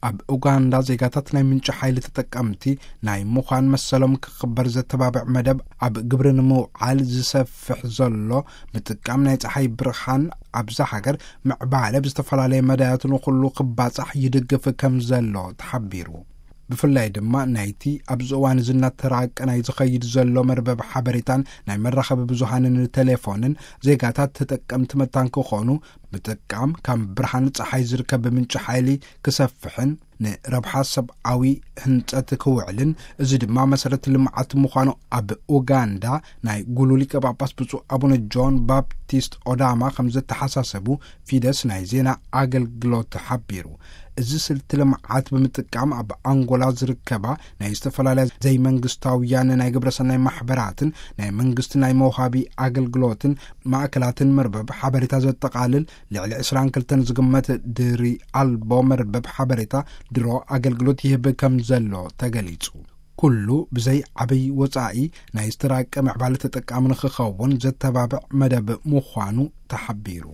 ኣብ ኡጋንዳ ዜጋታት ናይ ምንጪ ሓይሊ ተጠቀምቲ ናይ ምዃን መሰሎም ክኽበር ዘተባብዕ መደብ ኣብ ግብሪ ንምውዓል ዝሰፍሕ ዘሎ ምጥቃም ናይ ፀሓይ ብርሃን ኣብዛ ሃገር ምዕባለ ብዝተፈላለየ መዳያት ንኹሉ ክባፃሕ ይድግፍ ከም ዘሎ ተሓቢሩ። ብፍላይ ድማ ናይቲ ኣብዚ እዋን እዚ እናተራቀ ናይ ዝኸይድ ዘሎ መርበብ ሓበሬታን ናይ መራኸቢ ብዙሃንን ቴሌፎንን ዜጋታት ተጠቀምቲ መታን ክኾኑ ምጥቃም ካብ ብርሃን ፀሓይ ዝርከብ ምንጪ ሓይሊ ክሰፍሕን ንረብሓ ሰብኣዊ ህንፀት ክውዕልን፣ እዚ ድማ መሰረት ልምዓት ምዃኑ ኣብ ኡጋንዳ ናይ ጉሉ ሊቀ ጳጳስ ብፁዕ ኣቡነ ጆን ባፕቲስት ኦዳማ ከም ዘተሓሳሰቡ ፊደስ ናይ ዜና ኣገልግሎት ሓቢሩ። እዚ ስልቲ ልምዓት ብምጥቃም ኣብ ኣንጎላ ዝርከባ ናይ ዝተፈላለያ ዘይመንግስታውያን ናይ ግብረሰናይ ማሕበራትን ናይ መንግስቲ ናይ መውሃቢ ኣገልግሎትን ማእከላትን መርበብ ሓበሬታ ዘጠቓልል ልዕሊ ዕስራን ክልተን ዝግመት ድሪ ኣልቦ መርበብ ሓበሬታ ድሮ ኣገልግሎት ይህብ ከም ዘሎ ተገሊጹ። ኩሉ ብዘይ ዓብይ ወጻኢ ናይ ዝተራቀ ምዕባለ ተጠቃሚ ንክኸውን ዘተባብዕ መደብ ምዃኑ ተሓቢሩ።